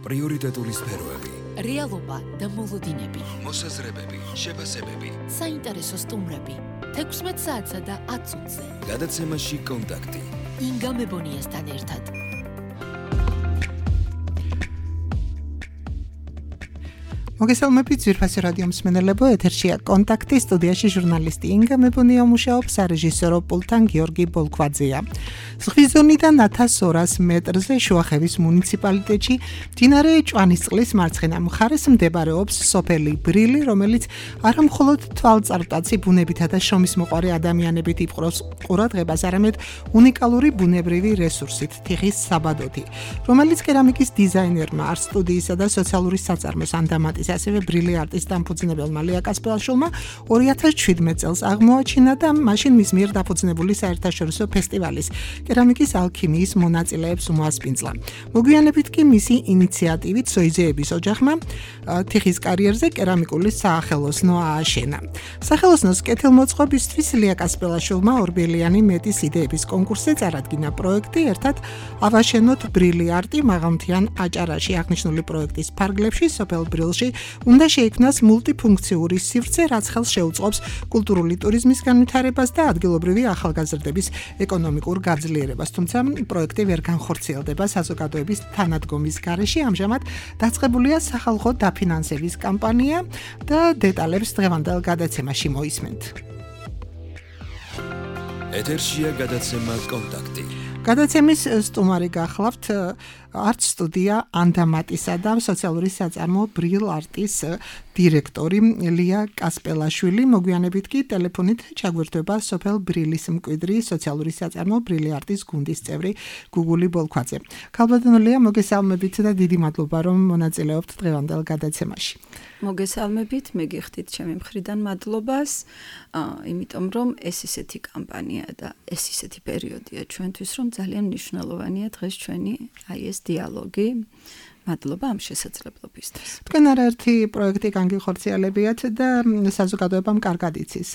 პრიორიტეტული სფეროები, რეალობა და მოლოდინები, მოსაზრებები, შეფასებები, საინტერესო სტუმრები, 16 საათსა და 10 წუთზე. გადაცემაში კონტაქტი. ინგა მებონიასთან ერთად. მოგესალმებით ძვირფასი რადიო მსმენელებო, ეთერშია კონტაქტი, სტუდიაში ჟურნალისტი ინგა მებონია მუშაობს, სარეჟისორო პულტთან გიორგი ბოლქვაძეა. ზღვისძონიდან 1200 მეტრზე შუახევის მუნიციპალიტეტში მდინარე ჭვანისწყლის მარცხენა მხარეს მდებარეობს სოფელი ბრილი, რომელიც არამხოლოდ თვალწარმტაცი ბუნებითა და შრომისმოყვარე ადამიანებით იპყრობს ყურადღებას, არამედ უნიკალური ბუნებრივი რესურსით, თიხის საბადოთი, რომელიც კერამიკის დიზაინერმა, არტ სტუდიისა და სოციალური საწარმოს ანდამატის, ასევე ბრილი არტის დამფუძნებელმა ლია კასპელაშვილმა 2017 წელს აღმოაჩინა და მაშინ მის მიერ დაფუძნებული საერთაშორისო ფესტივალის კერამიკის ალქიმიის მონაწილეებს უმასპინძლა. მოგვიანებით კი მისი ინიციატივით სოიზეების ოჯახმა თიხის კარიერზე კერამიკული საახელოსნო ააშენა. სახელოსნოს კეთილმოწყობისთვის ლია კასპელაშვილმა ორბელიანი მეტის იდეების კონკურსზე წარადგინა პროექტი, ერთად ავაშენოთ ბრილი არტი მაღალმთიან აჭარაში. აღნიშნული პროექტის ფარგლებში სოფელ ბრილში უნდა შეიქმნას მულტიფუნქციური სივრცე, რაც ხელს შეუწყობს კულტურული ტურიზმის განვითარებას და ადგილობრივი ახალგაზრდების ეკონომიკურ გაძლიერებას. თუმცა პროექტი ვერ განხორციელდება საზოგადოების თანადგომის გარეშე. ამჟამად დაწყებულია სახალხო დაფინანსების კამპანია და დეტალებს დღევანდელ გადაცემაში მოისმენთ. ეთერშია გადაცემა კონტაქტი. გადაცემის სტუმარი გახლავთ არტ სტუდია ანდამატისა და სოციალური საწარმო ბრილ არტის დირექტორი ლია კასპელაშვილი. მოგვიანებით კი ტელეფონით ჩაგვირთვება სოფელ ბრილის მკვიდრი სოციალური საწარმო ბრილი არტის გუნდის წევრი გუგული ბოლქვაძე. ქალბატონო ლია, მოგესალმებით და დიდი მადლობა, რომ მონაწილეობთ დღევანდელ გადაცემაში. მოგესალმებით, მეგიხდით ჩემი მხრიდან მადლობას, იმიტომ რომ ეს ისეთი კამპანია და ეს ისეთი პერიოდია ჩვენთვის, რომ ძალიან მნიშვნელოვანია დღეს ჩვენი ეს დიალოგი. მადლობა ამ შესაძლებლობისთვის. თქვენ არაერთი პროექტი განგიხორციელებიათ და საზოგადოებამ კარგად იცის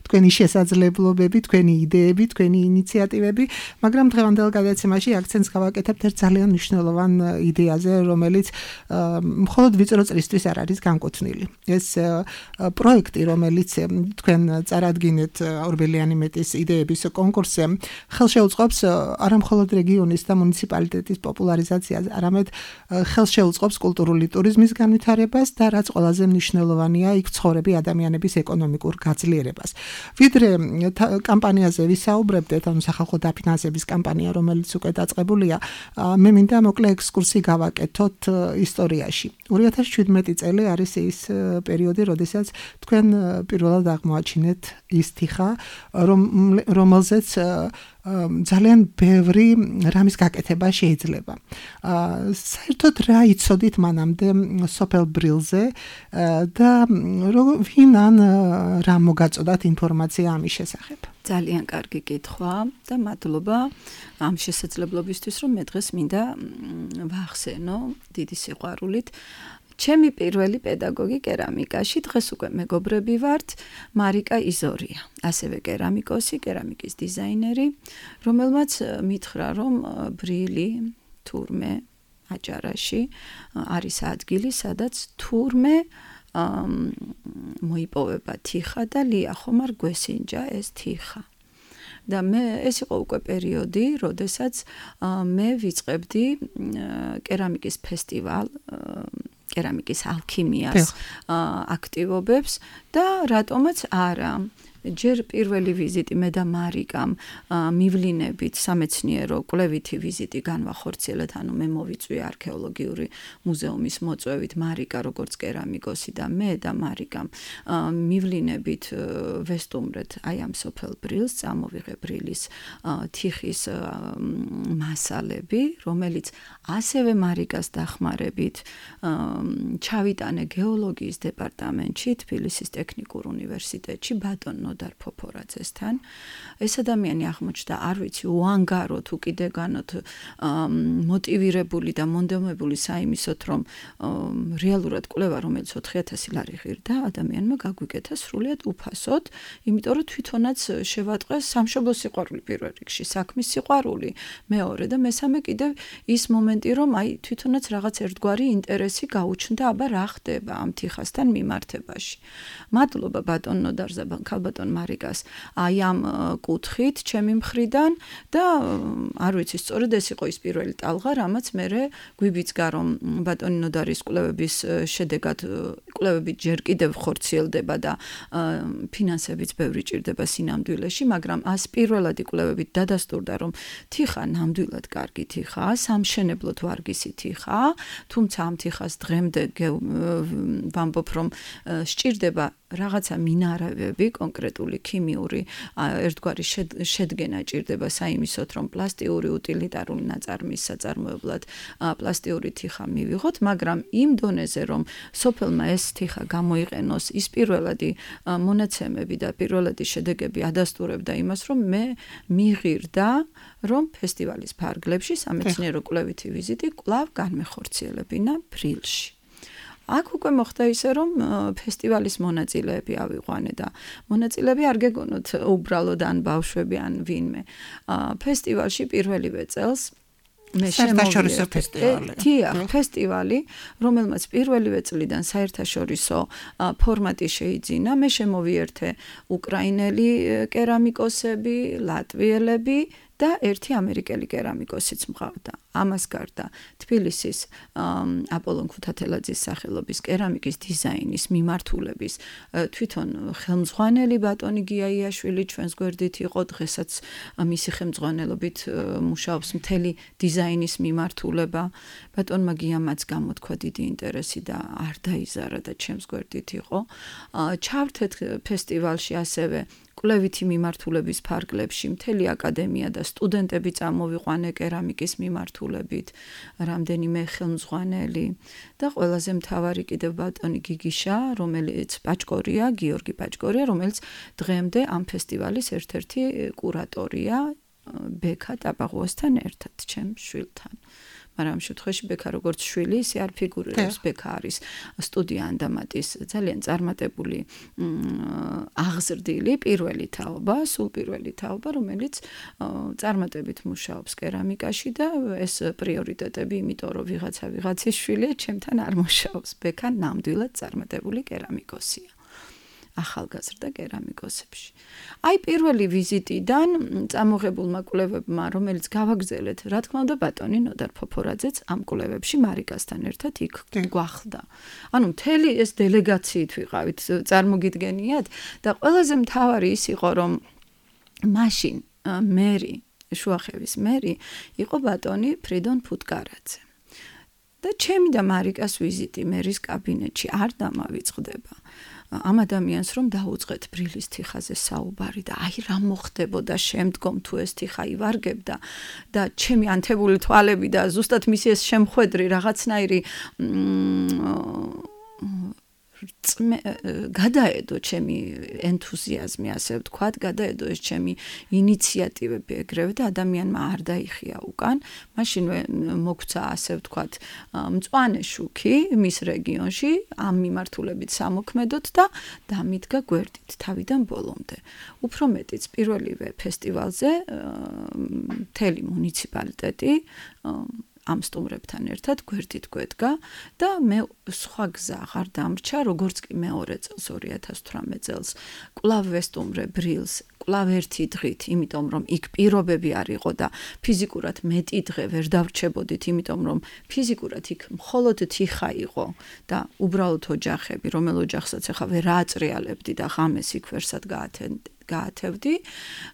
თქვენი შესაძლებლობები, თქვენი იდეები, თქვენი ინიციატივები, მაგრამ დღევანდელ გადაცემაში აქცენტს გავაკეთებთ ერთ ძალიან მნიშვნელოვან იდეაზე, რომელიც მხოლოდ ვიწრო წრისთვის არ არის განკუთვნილი. ეს პროექტი, რომელიც თქვენ წარადგინეთ ორბელიანი მეტის იდეების კონკურსზე, ხელშეუწყობს არამხოლოდ რეგიონის და მუნიციპალიტეტის პოპულარიზაციას, არამედ ხელს შეუწყობს კულტურული ტურიზმის განვითარებას და რაც ყველაზე მნიშვნელოვანია, იქ ცხოვრები ადამიანების ეკონომიკურ გაძლიერებას. ვიდრე კამპანიაზე ვისაუბრებდეთ, ანუ სახალხო დაფინანსების კამპანია, რომელიც უკვე დაწყებულია, მე მინდა მოკლე ექსკურსი გავაკეთოთ ისტორიაში. 2017 წელი არის ის პერიოდი, როდესაც თქვენ პირველად აღმოაჩინეთ ის თიხა, რომელზეც ძალიან ბევრი რამის გაკეთება შეიძლება. საერთოდ რა იცოდით მანამდე სოფელ ბრილზე და ვინ ან რა მოგაწოდათ ინფორმაცია ამის შესახებ? ძალიან კარგი კითხვა და მადლობა ამ შესაძლებლობისთვის, რომ მე დღეს მინდა ვახსენო დიდი სიყვარულით. ჩემი პირველი პედაგოგი კერამიკაში, დღეს უკვე მეგობრები ვართ, მარიკა იზორია, ასევე კერამიკოსი, კერამიკის დიზაინერი, რომელმაც მითხრა, რომ ბრილი, თურმე, აჭარაში არის ადგილი, სადაც თურმე მოიპოვება თიხა და ლია ხომ არ გვესინჯა ეს თიხა. და ეს იყო უკვე პერიოდი, როდესაც მე ვიწყებდი კერამიკის ფესტივალ, კერამიკის ალქიმიას აქტივობებს და რატომაც არა. ჯერ პირველი ვიზიტი მე და მარიკამ მივლინებით სამეცნიერო კვლევითი ვიზიტი განვახორციელეთ, ანუ მე მოვიწვი არქეოლოგიური მუზეუმის მოწვევით, მარიკა როგორც კერამიკოსი და მე და მარიკამ მივლინებით ვესტუმრეთ აი ამ სოფელ ბრილს, წამოვიღე ბრილის თიხის მასალები, რომელიც ასევე მარიკას დახმარებით ჩავიტანე გეოლოგიის დეპარტამენტში, თბილისის ტექნიკურ უნივერსიტეტში, ბატონ ნოდარ ფოფორაძესთან. ეს ადამიანი აღმოჩნდა, არ ვიცი, უანგარო თუ კიდეგანოთ მოტივირებული და მონდომებული საიმისოთ, რომ რეალურად კვლევა, რომელიც 4000 ლარი ღირდა, ადამიანმა გაგვიკეთა სრულიად უფასოდ, იმიტომ რომ თვითონაც შევატყეს სამშობლოს სიყვარული პირველ რიგში, საქმის სიყვარული, მეორე და მესამე კიდევ ის მომენტი, რომ აი თვითონაც რაღაც ერთგვარი ინტერესი გაუჩნდა, აბა რა ხდება ამ თიხასთან მიმართებაში. მადლობა ბატონ ნოდარზე, ქალბატონ მარიკას, აი ამ კუთხით ჩემი მხრიდან და არ ვიცი, სწორედ ეს იყო ის პირველი ტალღა, რამაც მე გვიბიძგა, რომ ბატონი ნოდარის კვლევების შედეგად კვლევები ჯერ კიდევ ხორციელდება და ფინანსებიც ბევრი ჭირდება სინამდვილეში, მაგრამ ას პირველადი კვლევებით დადასტურდა, რომ თიხა ნამდვილად კარგი თიხაა, სამშენებლოდ ვარგისი თიხაა, თუმცა ამ თიხას დღემდე ვამბობ, რომ სჭირდება რაღაცა მინარავები, კონკრეტული ქიმიური ერთგვარი შედგენა ჭირდება საიმისოთ, რომ პლასტიური უტილიტარული ნაწარმის საწარმოებლად პლასტიური თიხა მივიღოთ, მაგრამ იმ დონეზე, რომ სოფელმა ეს თიხა გამოიყენოს, ის პირველადი მონაცემები და პირველადი შედეგები ადასტურებდა იმას, რომ მე მიღირდა, რომ ფესტივალის ფარგლებში სამეცნიერო კვლევითი ვიზიტი კვლავ განმეხორციელებინა ბრილში. აქ უკვე მოხდა ისე, რომ ფესტივალის მონაწილეები ავიყვანე და მონაწილეები არ გეგონოთ უბრალოდ ან ბავშვები ან ვინმე. ფესტივალში პირველივე წელს მე საერთაშორისო ფესტივალი. ფესტივალი, რომელმაც პირველივე წლიდან საერთაშორისო ფორმატი შეიძინა, მე შემოვიერთე უკრაინელი კერამიკოსები, ლატვიელები და ერთი ამერიკელი კერამიკოსიც მყავდა. ამას გარდა თბილისის აპოლონ ქუთათელაძის სახელობის კერამიკის დიზაინის მიმართულების თვითონ ხელმძღვანელი ბატონი გიაიაშვილი ჩვენს გვერდით იყო, დღესაც მისი ხელმძღვანელობით მუშაობს მთელი დიზაინის მიმართულება. ბატონმა გიამაც გამოთქვა დიდი ინტერესი და არ დაიზარა და ჩემს გვერდით იყო. ჩავთეთ ფესტივალში ასევე კვლევითი მიმართულების ფარგლებში მთელი აკადემია და სტუდენტები წამოვიყვანე კერამიკის მიმართულებით, რამდენიმე ხელმძღვანელი და ყველაზე მთავარი კიდევ ბატონი გიგიშა, რომელიც პაჭკორია, გიორგი პაჭკორია, რომელიც დღემდე ამ ფესტივალის ერთ-ერთი კურატორია ბექა ტაბაღუასთან ერთად, ჩემ შვილთან. მაგრამ ამ შემთხვევაში ბექა როგორც შვილი, ისე არ ფიგურირებს, ბექა არის სტუდია ანდამატის ძალიან წარმატებული აღზრდილი პირველი თაობა, სულ პირველი თაობა, რომელიც წარმატებით მუშაობს კერამიკაში და ეს პრიორიტეტები, იმიტომ რომ ვიღაცის შვილია, ჩემთან არ მუშაობს. ბექა ნამდვილად წარმატებული კერამიკოსია. ახალგაზრდა კერამიკოსებში. აი პირველი ვიზიტიდან წამოღებულმა კვლევებმა, რომელიც გავაგრძელეთ, რა თქმა უნდა, ბატონი ნოდარ ფოფორაძეც ამ კვლევებში მარიკასთან ერთად იქ გვახლდა. ანუ მთელი ეს დელეგაციით ვიყავით, წარმოგიდგენიათ და ყველაზე მთავარი ის იყო, რომ მაშინ მერი, შუახევის მერი იყო ბატონი ფრიდონ ფუტკარაძე. და ჩემი და მარიკას ვიზიტი მერის კაბინეტში არ დამავიწყდება. ამ ადამიანს რომ დაუწყეთ ბრილის თიხაზე საუბარი და აი რა მოხდებოდა შემდგომ თუ ეს თიხა ივარგებდა და ჩემი ანთებული თვალები და ზუსტად მისი ეს შემხვედრი რაღაცნაირი გადაედო ჩემი ენთუზიაზმი, ასე ვთქვათ, გადაედო ეს ჩემი ინიციატივები ეგრევე და ადამიანმა არ დაიხია უკან. მაშინვე მოგვცა, ასე ვთქვათ, მწვანე შუქი მის რეგიონში ამ მიმართულებით სამოქმედოთ და დამიდგა გვერდით თავიდან ბოლომდე. უფრო მეტიც პირველივე ფესტივალზე მთელი მუნიციპალიტეტი ამ სტუმრებთან ერთად გვერდით გვედგა და მე სხვა გზა აღარ დამრჩა, როგორც კი მეორე წელს 2018 წელს კვლავ ვესტუმრე ბრილს, კვლავ ერთი დღით, იმიტომ რომ იქ პირობები არ იყო და ფიზიკურად მეტი დღე ვერ დავრჩებოდით, იმიტომ რომ ფიზიკურად იქ მხოლოდ თიხა იყო და უბრალოდ ოჯახები, რომელ ოჯახსაც ახლა ვერ აატრიალებდი და ღამეს იქ ვერსად გაათევდი,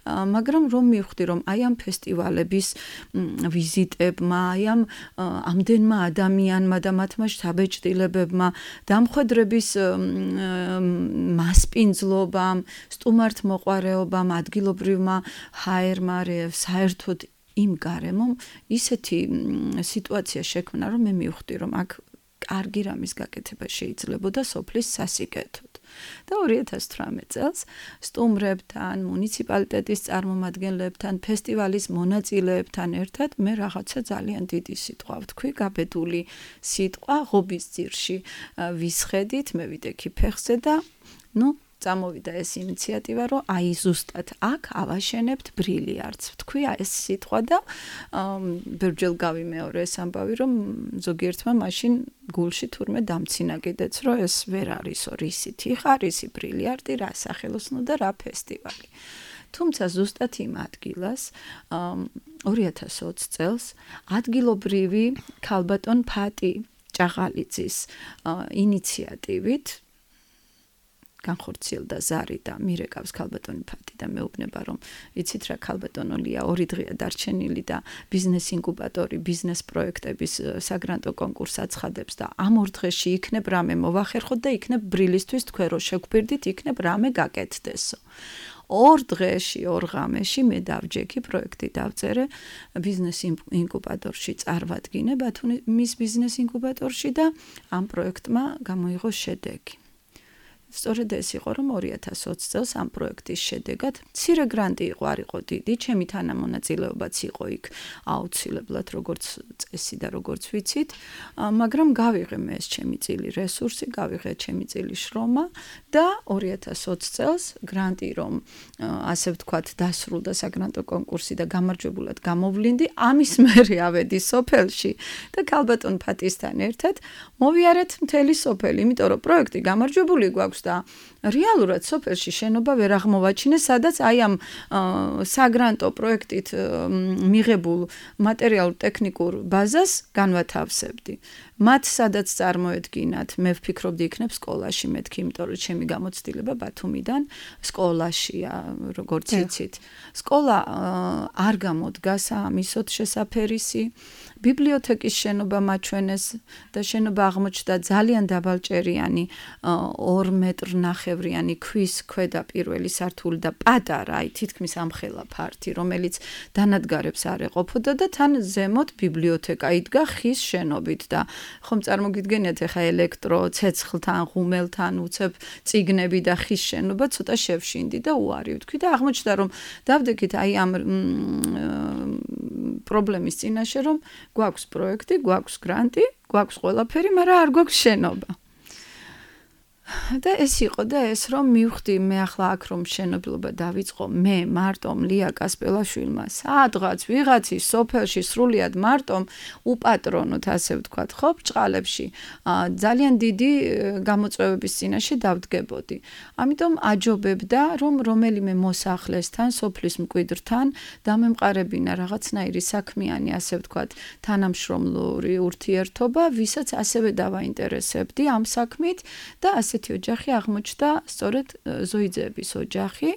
მაგრამ რომ მივხვდი, რომ აი ამ ფესტივალების ვიზიტებმა, აი ამ ამდენმა ადამიანმა და მათმა შთაბეჭდილებებმა, დამხვედრების მასპინძლობამ, სტუმართმოყვარეობამ, ადგილობრივმა ჰაერმა, საერთოდ იმ გარემომ ისეთი სიტუაცია შექმნა, რომ მე მივხვდი, რომ აქ კარგი რამის გაკეთება შეიძლებოდა სოფლის სასიკეთოდ. და 2018 წელს სტუმრებთან, მუნიციპალიტეტის წარმომადგენლებთან, ფესტივალის მონაწილეებთან ერთად მე რაღაცა ძალიან დიდი სიტყვა ვთქვი, გაბედული სიტყვა ღობის ძირში ვისხედით, მე ვიდექი ფეხზე და წამოვიდა ეს ინიციატივა, რომ აი ზუსტად აქ ავაშენებთ ბრილიარდს. ვთქვი ეს სიტყვა და ბერჯელ გავიმეორე ეს ამბავი, რომ ზოგიერთმა მაშინ გულში თურმე დამცინა კიდეც, რომ ეს ვერ არისო, რისი თიხა, რისი ბრილიარდი, რა სახელოსნო და რა ფესტივალი. თუმცა ზუსტად იმ ადგილას 2020 წელს ადგილობრივი ქალბატონ ფატი ჭაღალიძის ინიციატივით განხორციელდა ზარი და მირეკავს ქალბატონი ფატი და მეუბნება რომ იცით რა ქალბატონოლია 2 დღეა დარჩენილი და ბიზნეს ინკუბატორი ბიზნეს პროექტების საგრანტო კონკურსს აცხადებს და ამ 2 დღეში იქნებ რამე მოვახერხოთ და იქნებ ბრილისთვის თქვენ რო შეგგვირდით იქნებ რამე გაკეთდესო 2 დღეში 2 ღამეში მე დავჯექი პროექტი დავწერე ბიზნეს ინკუბატორში წარვადგინე ბათუმის ბიზნეს ინკუბატორში და ამ პროექტმა გამოიღო შედეგი სწორედ ეს იყო რომ 2020 წელს ამ პროექტის შედეგად მცირე გრანტი იყო არ იყო დიდი ჩემი თანამონაწილეობაც იყო იქ აუცილებლად როგორც წესი და როგორც ვიცით მაგრამ გავიღე მე ეს ჩემი წილი რესურსი გავიღე ჩემი წილი შრომა და 2020 წელს გრანტი რომ ასე ვთქვათ დასრულდა საგრანტო კონკურსი და გამარჯვებულად გამოვლინდი ამის მერე ავედი სოფელში და ქალბატონ ფატისთან ერთად მოვიარეთ მთელი სოფელი იმიტომ რომ პროექტი გამარჯვებული გვაქვს და რეალურად სოფელში შენობა ვერ აღმოვაჩინეს, სადაც აი ამ საგრანტო პროექტით მიღებულ მატერიალურ-ტექნიკურ ბაზას განვათავსებდი. მათ სადაც წარმოედგინათ, მე ვფიქრობდი იქნებ სკოლაში მეთქი, იმიტომ რომ ჩემი გამოცდილება ბათუმიდან სკოლაშია, როგორც იცით. სკოლა არ გამოდგა სამისოთ შესაფერისი. ბიბლიოთეკის შენობა მაჩვენეს და შენობა აღმოჩნდა ძალიან დაბალჭერიანი 2 მეტრ ნახევრიანი ქვის ქვედა პირველი სართული და პატარა, აი თითქმის ამხელა ფართი, რომელიც დანადგარებს არ ეყოფოდა და თან ზემოთ ბიბლიოთეკა იდგა ხის შენობით და ხომ წარმოგიდგენიათ ახლა ელექტრო ცეცხლთან, ღუმელთან, უცებ წიგნები და ხის შენობა ცოტა შევშინდი და უარი ვთქვი და აღმოჩნდა რომ დავდექით აი ამ პრობლემის წინაშე რომ გვაქვს პროექტი, გვაქვს გრანტი, გვაქვს ყველაფერი, მაგრამ არ გვაქვს შენობა. და ეს იყო და ეს რომ მივხვდი მე ახლა აქ რომ მშენებლობა დავიწყო მე მარტომ ლია კასპელაშვილმა სადღაც ვიღაცის სოფელში სრულიად მარტომ უპატრონოთ ასე ვთქვათ ხო ბჭყალებში ძალიან დიდი გამოწვევების წინაშე დავდგებოდი ამიტომ აჯობებდა რომ რომელიმე მოსახლესთან სოფლის მკვიდრთან დამემყარებინა რაღაცნაირი საქმიანი ასე ვთქვათ თანამშრომლური ურთიერთობა ვისაც ასევე დავაინტერესებდი ამ საქმით და ასეთი ოჯახი აღმოჩნდა სწორედ ზოიძეების ოჯახი,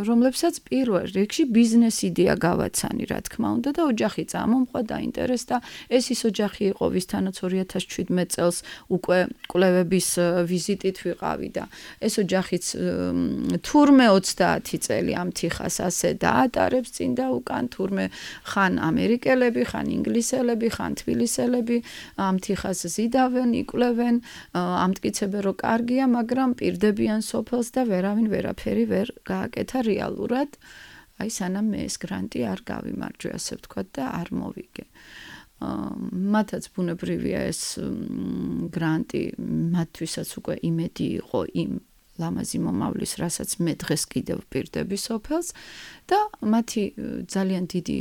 რომლებსაც პირველ რიგში ბიზნეს იდეა გავაცანი, რა თქმა უნდა და ოჯახი წამომყვა დაინტერესდა. ეს ის ოჯახი იყო, ვისთანაც 2017 წელს უკვე კვლევების ვიზიტით ვიყავი და ეს ოჯახიც თურმე 30 წელი ამ თიხას ასე დაატარებს წინ და უკან თურმე ხან ამერიკელები, ხან ინგლისელები, ხან თბილისელები ამ თიხას ზიდავენ, იკვლევენ, ამტკიცებენ რომ კარგია, მაგრამ პირდებიან სოფელს და ვერავინ ვერაფერი ვერ გააკეთა რეალურად. აი სანამ მე ეს გრანტი არ გავიმარჯვე, ასე ვთქვათ და არ მოვიგე. მათაც ბუნებრივია ეს გრანტი, მათთვისაც უკვე იმედი იყო იმ ლამაზი მომავლის, რასაც მე დღეს კიდევ ვპირდები სოფელს და მათი ძალიან დიდი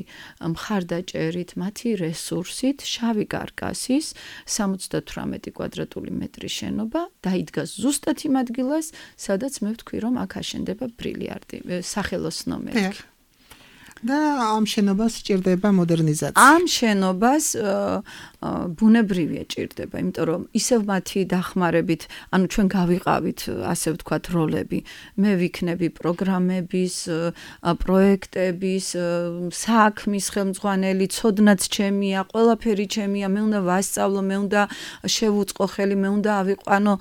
მხარდაჭერით, მათი რესურსით, შავი კარკასის 78 კვადრატული მეტრის შენობა დაიდგა ზუსტად იმ ადგილას, სადაც მე ვთქვი, რომ აქ აშენდება ბრილიარდი, სახელოსნო მეთქი. და ამ შენობას სჭირდება მოდერნიზაცია. ამ შენობას ბუნებრივია ჭირდება, იმიტომ რომ ისევ მათი დახმარებით, ანუ ჩვენ გავიყავით, ასე ვთქვათ, როლები. მე ვიქნები პროგრამების, პროექტების, საქმის ხელმძღვანელი, ცოდნაც ჩემია, ყველაფერი ჩემია, მე უნდა ვასწავლო, მე უნდა შევუწყო ხელი, მე უნდა ავიყვანო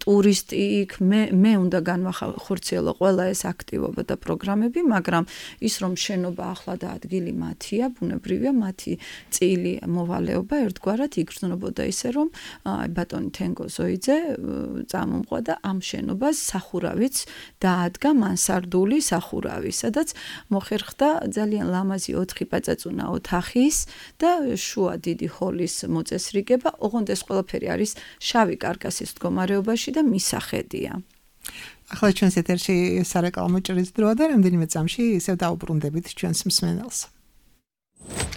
ტურისტი იქ, მე უნდა განვახორციელო ყველა ეს აქტივობა და პროგრამები, მაგრამ ის რომ შენობა ახლა და ადგილი მათია, ბუნებრივია, მათი წილი მოვალეობა ერთგვარად იგრძნობოდა ისე რომ ბატონი თენგო ზოიძე წამომყვა და ამ შენობას სახურავიც დაადგა მანსარდული სახურავი, სადაც მოხერხდა ძალიან ლამაზი 4 პაწაწუნა ოთახის და შუა დიდი ჰოლის მოწესრიგება, ოღონდ ეს ყველაფერი არის შავი კარკასის მდგომარეობაში და მისახედია. ახლა ჩვენს ეთერში სარეკლამო ჭრის დროა და რამდენიმე წამში ისევ დაუბრუნდებით ჩვენს მსმენელს.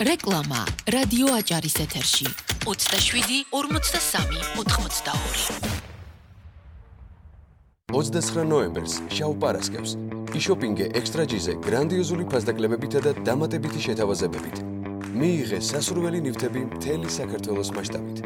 რეკლამა რადიო აჭარის ეთერში 27 43 82 29 ნოემბერს შავ პარასკევს იშოპინგე ექსტრაჯიზე გრანდიოზული ფასდაკლებებითა და დამატებითი შეთავაზებებით. მიიღე სასურველი ნივთები მთელი საქართველოს მასშტაბით.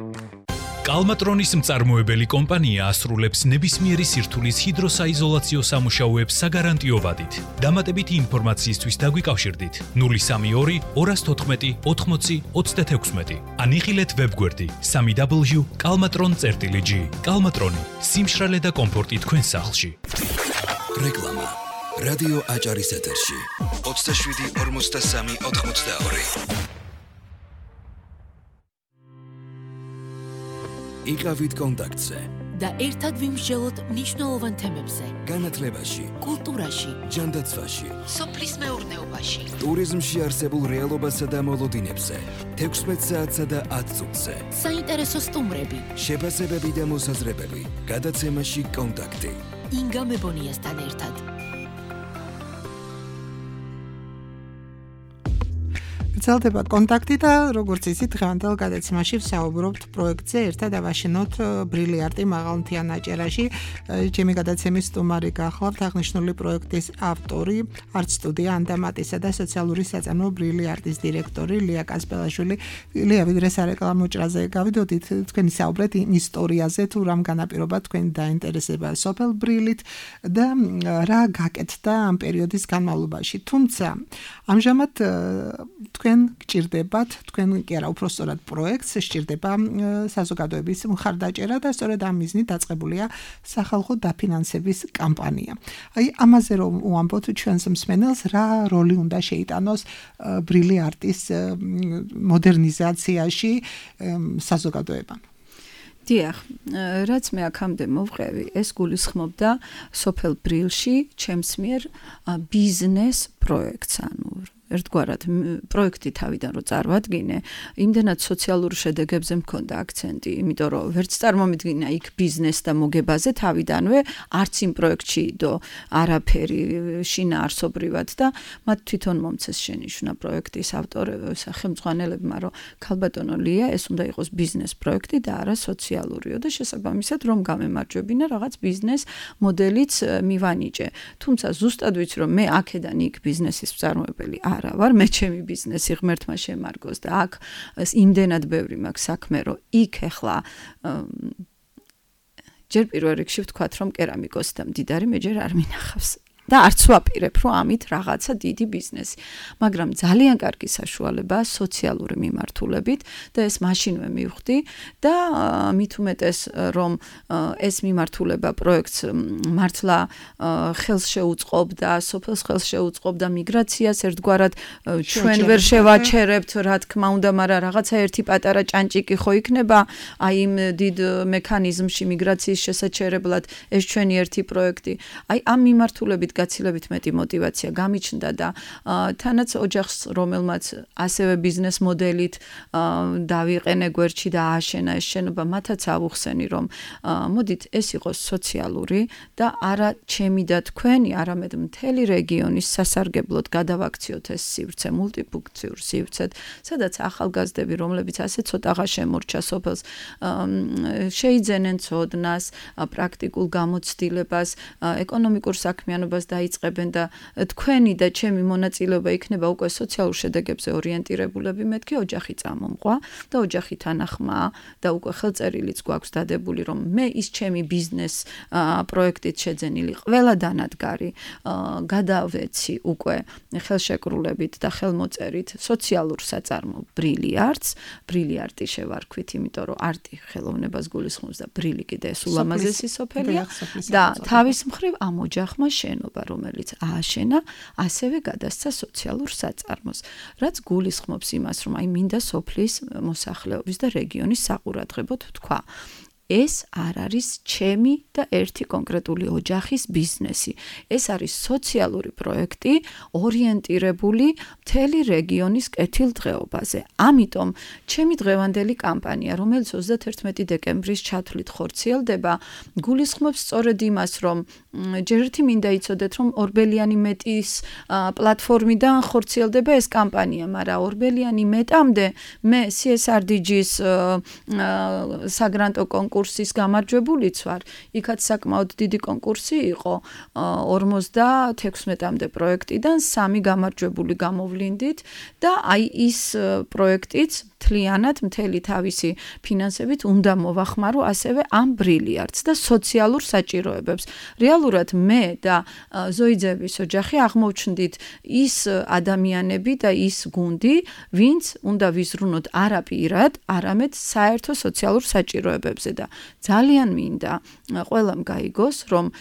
კალმატრონის მწარმოებელი კომპანია ასრულებს ნებისმიერი სირთულის ჰიდროსაიზოლაციო სამუშაოებს საგარანტიო ვადით. დამატებითი ინფორმაციისთვის დაგვიკავშირდით 032 214 80 36 ან იხილეთ ვებგვერდი www.kalmatron.gr. კალმატრონი, სიმშრალე და კომფორტი თქვენ სახლში. რეკლამა რადიო აჭარის ეთერში 27 43 82 იყავით კონტაქტზე და ერთად ვიმსჯელოთ მნიშვნელოვან თემებზე. განათლებაში, კულტურაში, ჯანდაცვაში, სოფლის მეურნეობაში, ტურიზმში არსებულ რეალობასა და მოლოდინებზე, 16 საათსა და 10 წუთზე. საინტერესო სტუმრები, შეფასებები და მოსაზრებები, გადაცემაში კონტაქტი. ინგა მებონიასთან ერთად. გრძელდება კონტაქტი და როგორც იცით დღევანდელ გადაცემაში ვსაუბრობთ პროექტზე ერთად ავაშენოთ ბრილიარტი მაღალმთიან აჭერაში. ჩემი გადაცემის სტუმარი გახლავთ აღნიშნული პროექტის ავტორი, არტ სტუდია ანდამატისა და სოციალური საწარმო ბრილიარტის დირექტორი ლია კასპელაშვილი. ლია, ვიდრე სარეკლამო ჭრაზე გავიდოდით, თქვენი საუბრეთ იმ ისტორიაზე, თუ რამ განაპირობა თქვენი დაინტერესება სოფელ ბრილით და რა გაკეთდა ამ პერიოდის განმავლობაში. თუმცა ამჟამად თქვენ გჭირდებათ, თქვენ კი არა, უпростоრად პროექტს სჭირდება საზოგადოების მხარდაჭერა და სწორედ ამ მიზნით დაწყებულია სახალხო დაფინანსების კამპანია. აი, ამაზე რომ უამბობთ ჩვენს მსმენელს, რა როლი უნდა შეიტანოს ბრილიარტის მოდერნიზაციაში საზოგადოებამ? დიახ, რაც მე აქამდე მოვყევი, ეს გულისხმობდა სოფელ ბრილში ჩემს მიერ ბიზნეს პროექტს, ანუ ერთგვარად პროექტი თავიდან რო წარვადგინე, იმდენად სოციალურ შედეგებზე მქონდა აქცენტი, იმიტომ რომ ვერც წარმომიდგინა იქ ბიზნეს და მოგებაზე თავიდანვე, არც იმ პროექტში დო არაფერი შინაარსობრივად და მათ თვითონ მომცეს შენიშვნა პროექტის სახელმძღვანელებმა, რომ ქალბატონო ლია, ეს უნდა იყოს ბიზნეს პროექტი და არა სოციალურიო და შესაბამისად რომ გამემარჯვებინა რაღაც ბიზნეს მოდელიც მივანიჭე. თუმცა ზუსტად ვიცი რომ მე აქედან იქ ბიზნესის მწარმოებელი არა ვარ, მე ჩემი ბიზნესი ღმერთმა შემარგოს და აქ იმდენად ბევრი მაქვს საქმე, რომ იქ ახლა ჯერ პირველ რიგში ვთქვათ, რომ კერამიკოსი და მდიდარი მე ჯერ არ მინახავს. და არც ვაპირებ, რომ ამით რაღაცა დიდი ბიზნესი. მაგრამ ძალიან კარგი საშუალებაა სოციალური მიმართულებით და ეს მაშინვე მივხვდი და მით უმეტეს, რომ ეს მიმართულება პროექტს მართლა ხელს შეუწყობდა, სოფელს ხელს შეუწყობდა მიგრაციას, ერთგვარად ჩვენ ვერ შევაჩერებთ, რა თქმა უნდა, მაგრამ რაღაცა ერთი პატარა ჭანჭიკი ხო იქნება, აი იმ დიდ მექანიზმში მიგრაციის შესაჩერებლად ეს ჩვენი ერთი პროექტი. აი ამ მიმართულებით გაცილებით მეტი мотиваცია გამიჩნდა და თანაც ოჯახს, რომელმაც ასევე ბიზნეს მოდელით დავიყენე გვერდში და ააშენა ეს შენობა, მათაც ავუხსენი, რომ მოდით ეს იყოს სოციალური და არა ჩემი და თქვენი, არამედ მთელი რეგიონის სასარგებლოდ გადავაქციოთ ეს სივრცე, მულტიფუნქციურ სივრცედ, სადაც ახალგაზრდები, რომლებიც ასე ცოტაღა შემორჩა სოფელს, შეიძენენ ცოდნას, პრაქტიკულ გამოცდილებას, ეკონომიკურ საქმიანობას დაიწყებენ და თქვენი და ჩემი მონაწილეობა იქნება უკვე სოციალურ შედეგებზე ორიენტირებულები, მეთქი ოჯახი წამომყვა და ოჯახი თანახმაა და უკვე ხელწერილიც გვაქვს დადებული, რომ მე ის ჩემი ბიზნეს პროექტით შეძენილი ყველა დანადგარი გადავეცი უკვე ხელშეკრულებით და ხელმოწერით სოციალურ საწარმო ბრილიარტს, ბრილიარტი შევარქვით, იმიტომ რომ არტი ხელოვნებას გულისხმობს და ბრილი კიდე ეს ულამაზესი სოფელია და თავის მხრივ ამ ოჯახმა შენობა მრეწველობა, რომელიც ააშენა, ასევე გადასცა სოციალურ საწარმოს, რაც გულისხმობს იმას, რომ აი მინდა სოფლის მოსახლეობის და რეგიონის საყურადღებოდ თქვა. ეს არ არის ჩემი და ერთი კონკრეტული ოჯახის ბიზნესი. ეს არის სოციალური პროექტი, ორიენტირებული მთელი რეგიონის კეთილდღეობაზე. ამიტომ ჩემი დღევანდელი კამპანია, რომელიც 31 დეკემბრის ჩათვლით ხორციელდება, გულისხმობს სწორედ იმას, რომ ჯერ ერთი მინდა იცოდეთ, რომ ორბელიანი მეტის პლატფორმიდან ხორციელდება ეს კამპანია, მაგრამ ორბელიანი მეტამდე მე CSRDG-ის საგრანტო კონკურსის გამარჯვებულიც ვარ. იქაც საკმაოდ დიდი კონკურსი იყო 56-მდე პროექტიდან 3 გამარჯვებული გამოვლინდით და აი ის პროექტიც მთლიანად მთელი თავისი ფინანსებით უნდა მოვახმარო ასევე ამ ბრილიარდს და სოციალურ საჭიროებებს. რეალურად მე და ზოიძეების ოჯახი აღმოვჩნდით ის ადამიანები და ის გუნდი, ვინც უნდა ვიზრუნოთ არა პირად, არამედ საერთო სოციალურ საჭიროებებზე და ძალიან მინდა ყველამ გაიგოს, რომ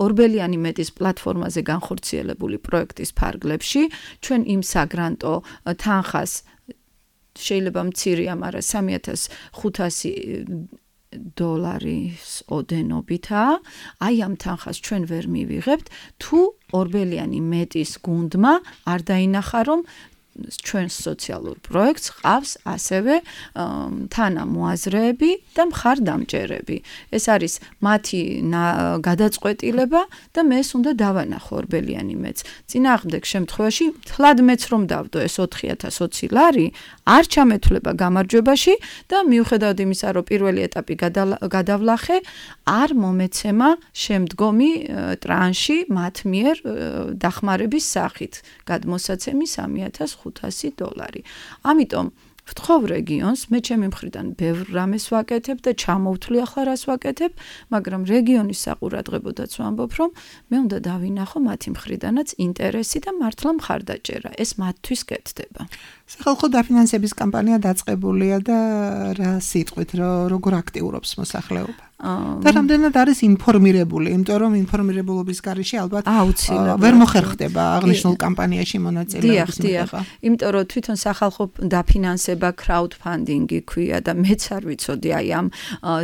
ორბელიანი მეტის პლატფორმაზე განხორციელებული პროექტის ფარგლებში ჩვენ იმ საგრანტო თანხას შეიძლება მცირეა, მაგრამ $3,500 ოდენობითაა. აი ამ თანხას ჩვენ ვერ მივიღებთ, თუ ორბელიანი მეტის გუნდმა არ დაინახა, რომ ჩვენ სოციალურ პროექტს ყავს ასევე თანამოაზრეები და მხარდამჭერები. ეს არის მათი გადაწყვეტილება და მეც უნდა დავანახო ორბელიანი მეც. წინააღმდეგ შემთხვევაში თლად მეც რომ დავდო ეს 4,020 ლარი, არ ჩამეთვლება გამარჯვებაში და მიუხედავად იმისა, რომ პირველი ეტაპი გადავლახე, არ მომეცემა შემდგომი ტრანში მათ მიერ დახმარების სახით. გადმოსაცემი $3,500. ამიტომ ვთხოვ რეგიონს, მე ჩემი მხრიდან ბევრ რამეს ვაკეთებ და ჩამოვთვლი ახლა რას ვაკეთებ, მაგრამ რეგიონის საყურადღებოდაც ვამბობ, რომ მე უნდა დავინახო მათი მხრიდანაც ინტერესი და მართლა მხარდაჭერა. ეს მათთვის კეთდება. სახალხო დაფინანსების კამპანია დაწყებულია და რა სიტყვით, როგორ აქტიურობს მოსახლეობა? და რამდენად არის ინფორმირებული, იმიტომ რომ ინფორმირებულობის გარეშე ალბათ ვერ მოხერხდება აღნიშნულ კამპანიაში მონაწილეობის მიღება. იმიტომ რომ თვითონ სახალხო დაფინანსება crowdfunding-ი ქვია და მეც არ ვიცოდი აი ამ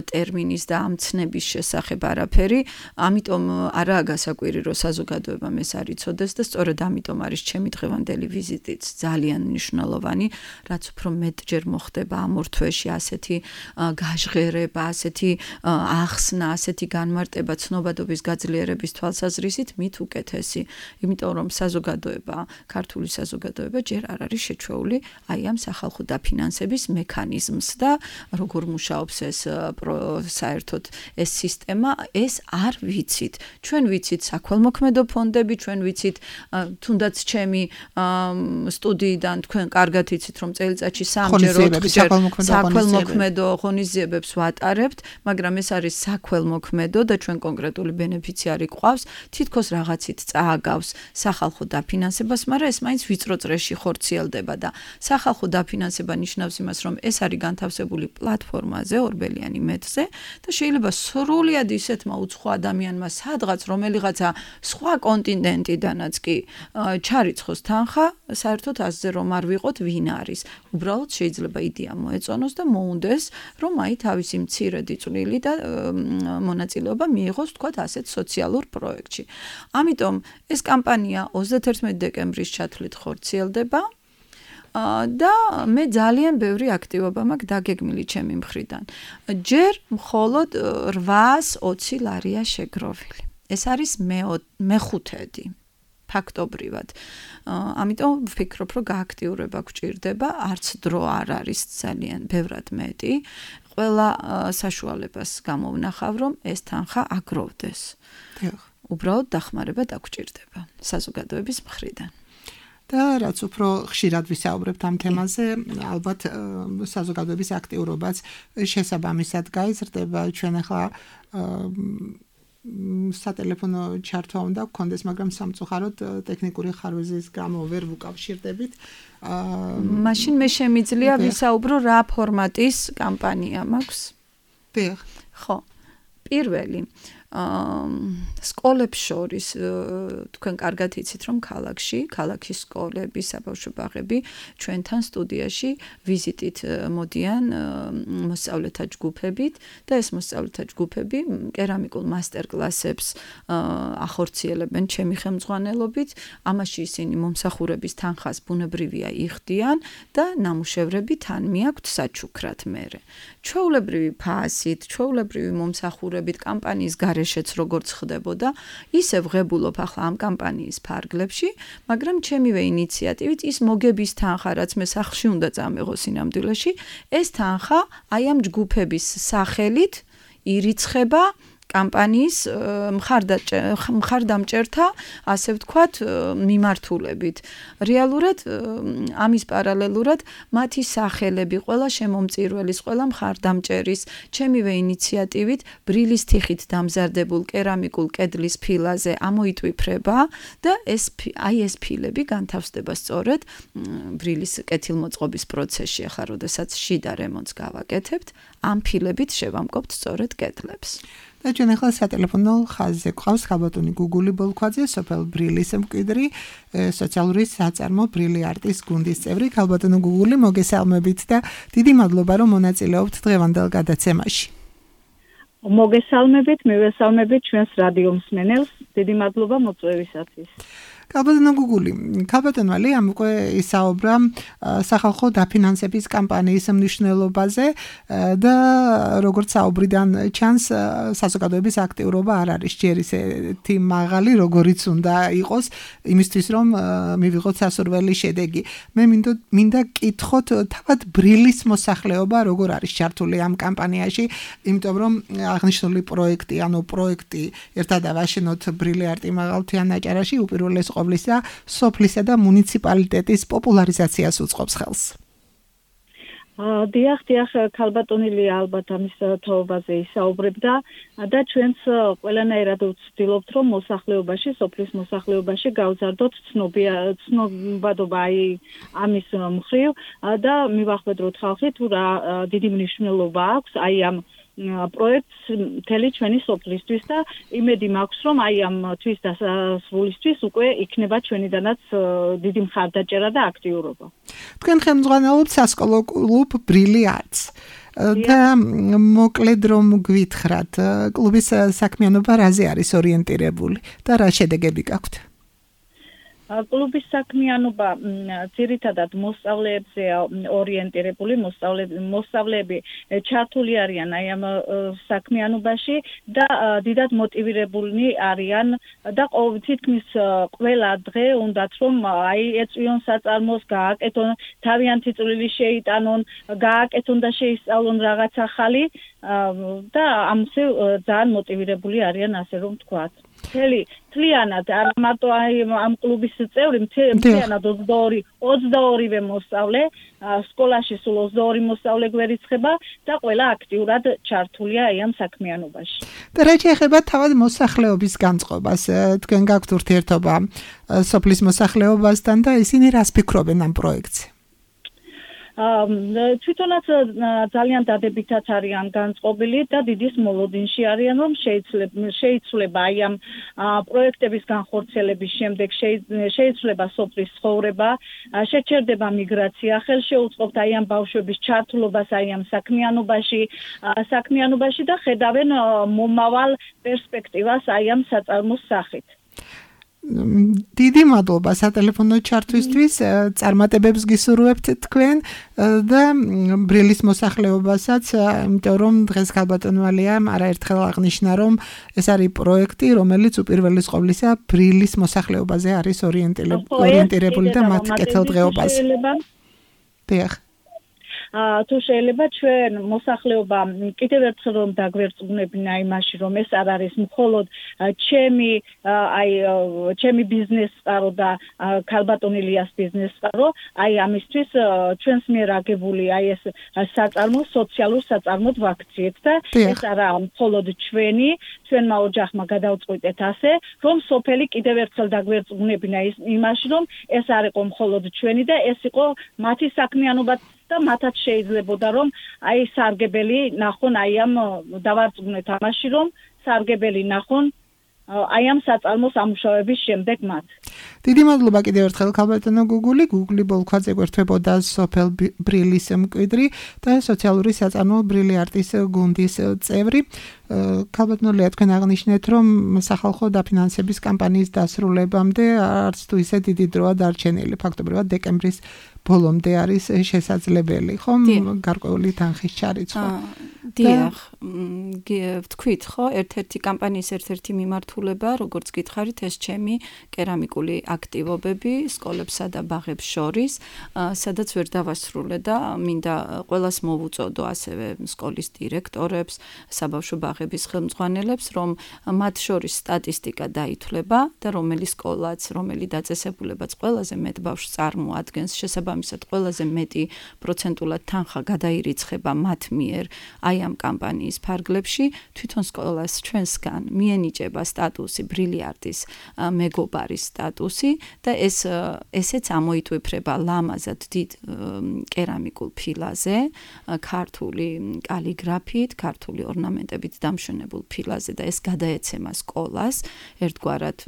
ტერმინის და ამ ცნების შესახებ არაფერი, ამიტომ არაა გასაკვირი, რომ საზოგადოებამ ეს არ იცოდეს და სწორედ ამიტომ არის ჩემი დღევანდელი ვიზიტიც ძალიან მნიშვნელოვანი, რაც უფრო მეტჯერ მოხდება ამ ორ თვეში ასეთი გაჟღერება, ასეთი ახსნა, ასეთი განმარტება ცნობადობის გაძლიერების თვალსაზრისით მით უკეთესი, იმიტომ რომ საზოგადოება, ქართული საზოგადოება ჯერ არ არის შეჩვეული აი ამ სახალხო დაფინანსების მექანიზმს და როგორ მუშაობს ეს საერთოდ ეს სისტემა, ეს არ ვიცით. ჩვენ ვიცით საქველმოქმედო ფონდები, ჩვენ ვიცით თუნდაც ჩემი სტუდიიდან თქვენ კარგად იცით, რომ წელიწადში 3-4 საქველმოქმედო ღონისძიებებს ვატარებთ, მაგრამ ეს არის საქველმოქმედო და ჩვენ კონკრეტული ბენეფიციარი გვყავს, თითქოს რაღაცით წააგავს სახალხო დაფინანსებას, მაგრამ ეს მაინც ვიწრო წრეში ხორციელდება და სახალხო დაფინანსება ნიშნავს იმას, რომ ეს არის განთავსებული პლატფორმაზე, ორბელიანი მეტზე და შეიძლება სრულად ისეთმა უცხო ადამიანმა სადღაც რომელიღაცა სხვა კონტინენტიდანაც კი ჩარიცხოს თანხა, საერთოდ ასზე რომ არ ვიყოთ ვინ არის. უბრალოდ შეიძლება იდეა მოეწონოს და მოუნდეს, რომ აი თავისი მცირედი წვლილი და მონაწილეობა მიიღოს თქვათ ასეთ სოციალურ პროექტში. ამიტომ ეს კამპანია 31 დეკემბრის ჩათვლით ხორციელდება და მე ძალიან ბევრი აქტივობა მაქვს დაგეგმილი ჩემი მხრიდან. ჯერ მხოლოდ 820 ლარია შეგროვილი. ეს არის მეხუთედი. ფაქტობრივად. ამიტომ ვფიქრობ, რომ გააქტიურება გვჭირდება, არც დრო არ არის ძალიან ბევრად მეტი. ყველა საშუალებას გამოვნახავ, რომ ეს თანხა აგროვდეს. უბრალოდ დახმარება დაგვჭირდება საზოგადოების მხრიდან. და რაც უფრო ხშირად ვისაუბრებთ ამ თემაზე, ალბათ საზოგადოების აქტიურობაც შესაბამისად გაიზრდება. ჩვენ ახლა სატელეფონო ჩართვა უნდა გქონდეს, მაგრამ სამწუხაროდ ტექნიკური ხარვეზის გამო ვერ ვუკავშირდებით. მაშინ მე შემიძლია ვისაუბრო რა ფორმატის კამპანია მაქვს? დიახ. ხო. პირველი სკოლებს შორის თქვენ კარგად იცით რომ ქალაქის სკოლები, საბავშვო ბაღები ჩვენთან სტუდიაში ვიზიტით მოდიან მოსწავლეთა ჯგუფებით და ეს მოსწავლეთა ჯგუფები კერამიკულ მასტერკლასებს ახორციელებენ ჩემი ხელმძღვანელობით, ამაში ისინი მომსახურების თანხას ბუნებრივია იხდიან და ნამუშევრები თან მიაქვთ საჩუქრად მერე. ჩვეულებრივი ფასით, ჩვეულებრივი მომსახურებით კამპანიის გარეშეც როგორც ხდებოდა, ისე ვღებულობ ახლა ამ კამპანიის ფარგლებში, მაგრამ ჩემივე ინიციატივით ის მოგების თანხა, რაც მე სახლში უნდა წამეღო სინამდვილეში, ეს თანხა აი ამ ჯგუფების სახელით ირიცხება კამპანიის მხარდამჭერთა, ასე ვთქვათ, მიმართულებით. რეალურად ამის პარალელურად მათი სახელები, ყველა შემომწირველის, ყველა მხარდამჭერის, ჩემივე ინიციატივით ბრილის თიხით დამზარდებულ კერამიკულ კედლის ფილაზე ამოიტვიფრება და ეს ფილები განთავსდება სწორედ ბრილის კეთილმოწყობის პროცესში, ახლა როდესაც შიდა რემონტს გავაკეთებთ, ამ ფილებით შევამკობთ სწორედ კედლებს. და ჩვენ ახლა სატელეფონო ხაზზე გვყავს ხალბატონი გუგული ბოლქვაძე, სოფელ ბრილის მკვიდრი, სოციალური საწარმო ბრილი არტის გუნდის წევრი. ხალბატონო გუგული, მოგესალმებით და დიდი მადლობა რომ მონაწილეობთ დღევანდელ გადაცემაში. მოგესალმებით, მივესალმებით ჩვენს რადიო მსმენელს. დიდი მადლობა მოწვევისათვის. ხალბატონო გუგული, ხალბატონო ლიამ უკვე ისაუბრა სახალხო დაფინანსების კამპანიის მნიშვნელობაზე და როგორც საუბრიდან ჩანს, საზოგადოების აქტიურობა არ არის ჯერ ისეთი მაღალი, როგორიც უნდა იყოს, იმისთვის რომ მივიღოთ სასურველი შედეგი. მე მინდა კითხოთ თავად ბრილის მოსახლეობა როგორ არის ჩართული ამ კამპანიაში, იმიტომ რომ აღნიშნული პროექტი ერთად ავაშენოთ ბრილი არტი მაღალმთიან აჭარაში უპირველეს ყოვლისა სოფლისა და მუნიციპალიტეტის პოპულარიზაციას უწყობს ხელს. დიახ, ხალბატონილი ალბათ ამის თაობაზე ისაუბრებდა და ჩვენც ყველანაირად ვცდილობთ, რომ მოსახლეობაში, სოფლის მოსახლეობაში გავზარდოთ ცნობადობა ამის მხრივ და მივახვედროთ ხალხი თუ რა დიდი მნიშვნელობა აქვს აი ამ პროექტს მთელი ჩვენი სოფლისთვის და იმედი მაქვს, რომ აი ამ თვის დასასრულისთვის უკვე იქნება ჩვენიდანაც დიდი მხარდაჭერა და აქტიურობა. თქვენ ხელმძღვანელობთ სასკოლო კლუბ ბრილი არტს და მოკლედ რომ გვითხრათ, კლუბის საქმიანობა რაზე არის ორიენტირებული და რა შედეგები გაქვთ? კლუბის საქმიანობა ძირითადად მოსწავლეებზეა ორიენტირებული, მოსწავლეები ჩართული არიან აი ამ საქმიანობაში და დიდად მოტივირებულნი არიან და თითქმის ყველა დღე უნდათ რომ აი ეწვიონ საწარმოს, გააკეთონ, თავიანთი წვლილი შეიტანონ, გააკეთონ და შეისწავლონ რაღაც ახალი და ამაზე ძალიან მოტივირებული არიან, ასე რომ ვთქვათ. მთლიანად არ მარტო ამ კლუბის წევრი, მთლიანად 22-ვე მოსწავლე, სკოლაში სულ 22 მოსწავლე გვერიცხება და ყველა აქტიურად ჩართულია აი ამ საქმიანობაში. და რა შეეხება თავად მოსახლეობის განწყობას, თქვენ გაქვთ ურთიერთობა სოფლის მოსახლეობასთან და ისინი რას ფიქრობენ ამ პროექტზე? თვითონაც ძალიან დადებითად არიან განწყობილი და დიდის მოლოდინში არიან, რომ შეიცვლება აი ამ პროექტების განხორციელების შემდეგ შეიცვლება სოფლის ცხოვრება, შეჩერდება მიგრაცია, ხელშეუწყობთ აი ამ ბავშვების ჩართულობას აი ამ საქმიანობაში და ხედავენ მომავალ პერსპექტივას აი ამ საწარმოს სახით. დიდი მადლობა სატელეფონო ჩართვისთვის, წარმატებებს გისურვებთ თქვენ და ბრილის მოსახლეობასაც, იმიტომ რომ დღეს ხალბატონო ალიამ არაერთხელ აღნიშნა, რომ ეს არის პროექტი, რომელიც უპირველეს ყოვლისა ბრილის მოსახლეობაზე არის ორიენტირებული და მათ კეთილდღეობაზე. დიახ. თუ შეიძლება ჩვენ მოსახლეობა კიდევ ერთხელ რომ დაგვერწყმუნებინა იმაში, რომ ეს არ არის მხოლოდ ჩემი ბიზნეს წყარო და ხალბატონ ილიას ბიზნეს წყარო, აი ამისთვის ჩვენს მიერ აგებული აი ეს საწარმო სოციალურ საწარმოდ ვაქციეთ და ეს არა მხოლოდ ჩვენმა ოჯახმა გადავწყვიტეთ ასე, რომ სოფელი კიდევ ერთხელ დაგვერწყმუნებინა იმაში, რომ ეს არ იყო მხოლოდ ჩვენი და ეს იყო მათი საქმიანობაც და მათაც შეიძლებოდა რომ აი სარგებელი ნახონ აი ამ დავარწმუნეთ ამაში რომ სარგებელი ნახონ აი ამ საწარმო სამუშაოების შემდეგ მათ. დიდი მადლობა კიდევ ერთხელ ქალბატონო გუგული, გუგლი ბოლქვაძე გვერდთვებოდა სოფელ ბრილის მკვიდრი და სოციალური საწარმო ბრილი არტის გუნდის წევრი. ქალბატონო ლეა, თქვენ აღნიშნეთ, რომ სახალხო დაფინანსების კამპანიის დასრულებამდე არც თუ ისე დიდი დროა დარჩენილი. ფაქტობრივად დეკემბრის ბოლომდე არის შესაძლებელი, ხომ? გარკვეული თანხის ჩარიცხვა. დიახ, ვთქვით, ხო, ერთ-ერთი კამპანიის ერთ-ერთი მიმართულება, როგორც გითხარით, ეს ჩემი კერამიკული აქტივობები სკოლებსა და ბაღებს შორის, სადაც ვერ დავასრულე და მინდა ყველას მოვუწოდო ასევე სკოლის დირექტორებს, საბავშვო ბაღების ხელმძღვანელებს, რომ მათ შორის სტატისტიკა დაითვლება და რომელი სკოლაც, რომელი დაწესებულებაც ყველაზე მეტ ბავშვს წარმოადგენს, შესაბამისად ყველაზე მეტი პროცენტულად თანხა გადაირიცხება მათ მიერ აი ამ კამპანიის ფარგლებში, თვითონ სკოლას ჩვენსგან მიენიჭება სტატუსი ბრილიარტის მეგობარის სტატუსი და ესეც ამოიტვიფრება ლამაზად დიდ კერამიკულ ფილაზე, ქართული კალიგრაფით, ქართული ორნამენტებით დამშვენებულ ფილაზე და ეს გადაეცემა სკოლას ერთგვარად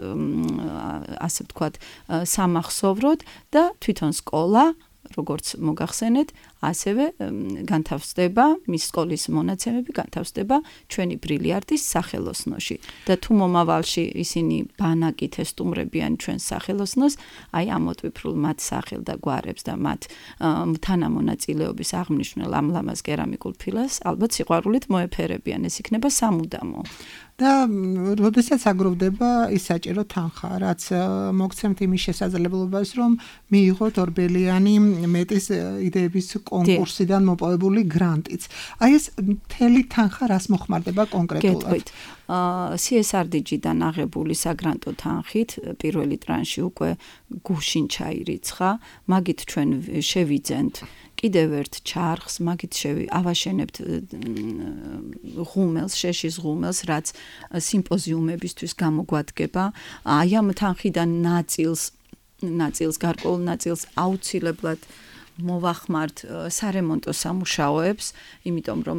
ასე ვთქვათ სამახსოვროდ და თვითონ სკოლა როგორც მოგახსენეთ, ასევე განთავსდება მის სკოლის მონაცემები განთავსდება ჩვენი ბრილიარტის სახელოსნოში და თუ მომავალში ისინი ბანაკით ესტუმრებიან ჩვენს სახელოსნოს, აი ამოტვიფრულ მათ სახელ და გვარებს და მათ თანამონაწილეობის აღმნიშნულ ამ ლამაზ კერამიკულ ფილას ალბათ სიყვარულით მოეფერებიან, ეს იქნება სამუდამო. და როდესაც აგროვდება ის საჭირო თანხა, რაც მოგცემთ იმის შესაძლებლობას, რომ მიიღოთ ორბელიანი მეტის იდეების კონკურსიდან მოპოვებული გრანტიც. აი ეს მთელი თანხა რას მოხმარდება კონკრეტულად? გეტყვით. CSRDG-დან აღებული საგრანტო თანხით პირველი ტრანში უკვე გუშინ ჩაირიცხა, მაგით ჩვენ შევიძენთ კიდევ ერთ ჩარხს, მაგით ავაშენებთ ღუმელს, შეშის ღუმელს, რაც სიმპოზიუმებისთვის გამოგვადგება. აი ამ თანხიდან ნაწილს გარკვეულ ნაწილს აუცილებლად მოვახმართ სარემონტო სამუშაოებს, იმიტომ რომ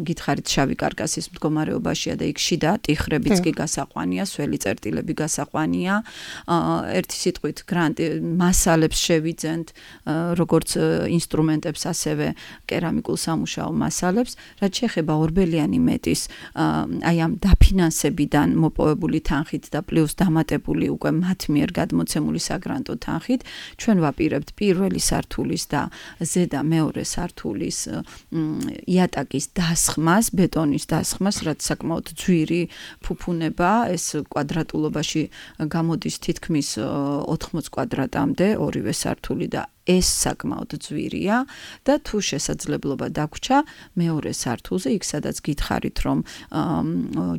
გითხარით შავი კარკასის მდგომარეობაშია და იქ შიდა ტიხრებიც კი გასაყვანია, სველი წერტილები გასაყვანია. ერთი სიტყვით გრანტი მასალებს შევიძენთ, როგორც ინსტრუმენტებს, ასევე კერამიკულ სამუშაო მასალებს, რაც შეეხება ორბელიანი მეტის აი ამ დაფინანსებიდან მოპოვებული თანხით და პლუს დამატებული უკვე მათ მიერ გადმოცემული საგრანტო თანხით, ჩვენ ვაპირებთ პირველი სართულის და ზედა მეორე სართულის იატაკის დასხმას, ბეტონის დასხმას, რაც საკმაოდ ძვირი ფუფუნება, ეს კვადრატულობაში გამოდის თითქმის 80 კვადრატამდე ორივე სართული და ეს საკმაოდ ძვირია და თუ შესაძლებლობა დაგვრჩა მეორე სართულზე, იქ სადაც გითხარით რომ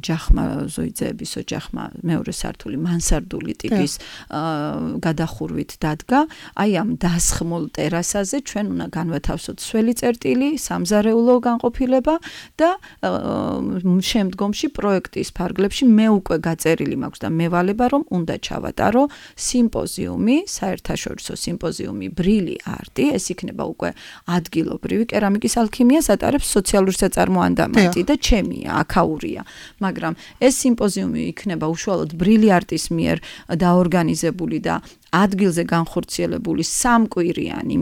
ოჯახმა ზოიძეების ოჯახმა მეორე სართული მანსარდული ტიპის გადახურვით დადგა, აი ამ დასხმულ ტერასაზე ჩვენ უნდა განვათავსოთ სველი წერტილი, სამზარეულო განყოფილება და შემდგომში პროექტის ფარგლებში მე უკვე გაწერილი მაქვს და მევალება რომ უნდა ჩავატარო სიმპოზიუმი, საერთაშორისო სიმპოზიუმი არტი, ეს იქნება უკვე ადგილობრივი კერამიკის ალქიმიას ატარებს სოციალური საწარმო ანდამატი და ჩემია, აქაურია. მაგრამ ეს სიმპოზიუმი იქნება უშუალოდ ბრილიარტის მიერ დაორგანიზებული და ადგილზე განხორციელებული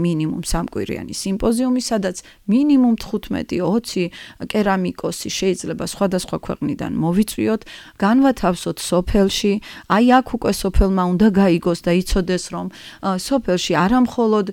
მინიმუმ სამკვირიანი სიმპოზიუმი, სადაც მინიმუმ 15-20 კერამიკოსი შეიძლება სხვადასხვა ქვეყნიდან მოვიწვიოთ, განვათავსოთ სოფელში, აი აქ უკვე სოფელმა უნდა გაიგოს და იცოდეს, რომ სოფელში არამხოლოდ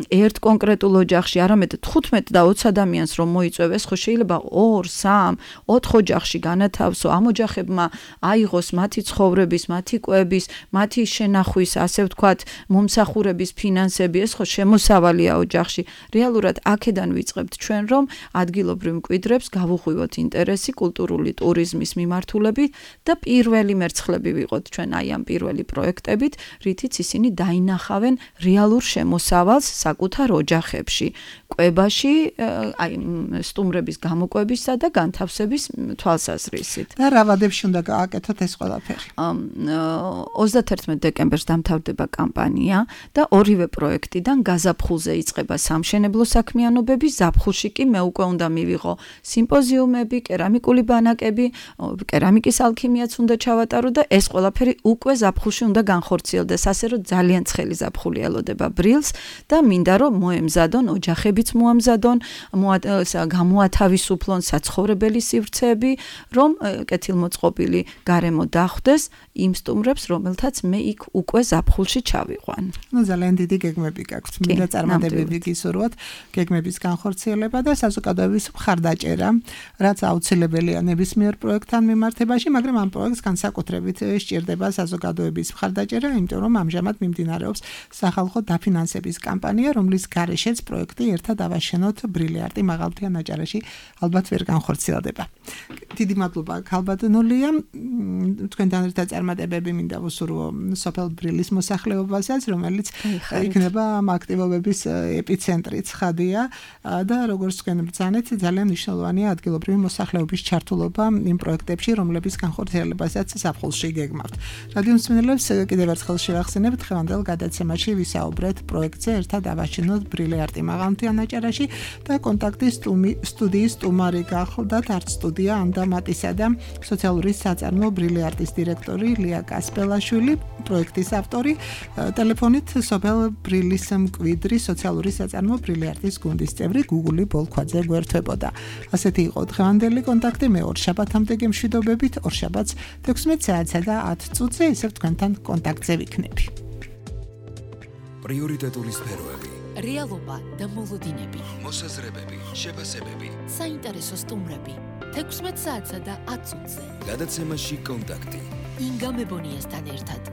ერთ კონკრეტულ ოჯახში, არამედ 15 და 20 ადამიანს რომ მოიწვევეს, ხო შეიძლება 2, 3, 4 ოჯახში განათავსო, ამ ოჯახებმა აიღოს მათი ცხოვრების, მათი კვების, მათი შენახვის, ასე ვთქვათ, მომსახურების ფინანსები, ეს ხო შემოსავალია ოჯახში. რეალურად აქედან ვიწყებთ ჩვენ, რომ ადგილობრივ მკვიდრებს გავუღვივოთ ინტერესი კულტურული ტურიზმის მიმართულებით და პირველი მერცხლები ვიყოთ ჩვენ აი ამ პირველი პროექტებით, რითიც ისინი დაინახავენ რეალურ შემოსავალს მოსავალს საკუთარ ოჯახებში, კვებაში, აი სტუმრების გამოკვებისა და განთავსების თვალსაზრისით. და რა ვადებში უნდა გააკეთოთ ეს ყველაფერი? 31 დეკემბერს დამთავრდება კამპანია და ორივე პროექტიდან გაზაფხულზე იწყება სამშენებლო საქმიანობები, ზაფხულში კი მე უკვე უნდა მივიღო სიმპოზიუმები, კერამიკული ბანაკები, კერამიკის ალქიმიაც უნდა ჩავატარო და ეს ყველაფერი უკვე ზაფხულში უნდა განხორციელდეს, ასე რომ ძალიან ცხელი ზაფხული ელოდება ბრილს და მინდა რომ მოემზადონ ოჯახებიც მოამზადონ, გამოათავისუფლონ საცხოვრებელი სივრცეები, რომ კეთილმოწყობილი გარემო დახვდეს იმ სტუმრებს, რომელთაც მე იქ უკვე ზაფხულში ჩავიყვან. ნუ ძალიან დიდი გეგმები გაქვთ, მინდა წარმატებები გისურვოთ, გეგმების განხორციელება და საზოგადოების მხარდაჭერა, რაც აუცილებელია ნებისმიერ პროექტთან მიმართებაში, მაგრამ ამ პროექტს განსაკუთრებით სჭირდება საზოგადოების მხარდაჭერა, იმიტომ რომ ამჟამად მიმდინარეობს სახალხო დაფინანსების კამპანია, რომლის გარეშეც პროექტი ერთად ავაშენოთ ბრილიარტი მაღალმთიან აჭარაში ალბათ ვერ განხორციელდება. დიდი მადლობა ქალბატონულია, თქვენთან ერთად წარმატებები მინდა ვუსურვო სოფელ ბრილის მოსახლეობასაც, რომელიც იქნება ამ აქტივობების ეპიცენტრი ცხადია და როგორც თქვენ ბრძანეთ, ძალიან მნიშვნელოვანია ადგილობრივი მოსახლეობის ჩართულობა იმ პროექტებში, რომლების განხორციელებასაც ზაფხულში გეგმავთ. რადიო მსმენელებს კიდევ ერთხელ შევახსენებთ, დღევანდელ გადაცემაში ვისაუბრეთ პროექტზე ერთად ავაშენოთ ბრილიარტი მაღალმთიან აჭარაში და კონტაქტის სტუდიის სტუმარი გახლდათ არც სტუდია ანდამატისა და სოციალური საწარმო ბრილიარტის დირექტორი ლია კასპელაშვილი, პროექტის ავტორი, ტელეფონით სოფელ ბრილის მკვიდრი სოციალური საწარმო ბრილიარტის გუნდის წევრი გუგული ბოლქვაძე გვერდთვებოდა. ასეთი იყო დღევანდელი კონტაქტი, მე ორშაბათამდე გემშვიდობებით, ორშაბათს 16 საათსა და 10 წუთზე ისევ თქვენთან კონტაქტზე ვიქნები. პრიორიტეტული სფეროები, რეალობა და მოლოდინები, მოსაზრებები, შეფასებები, საინტერესო სტუმრები, 16 საათსა და 10 წუთზე. გადაცემაში კონტაქტი. ინგა მებონიასთან ერთად.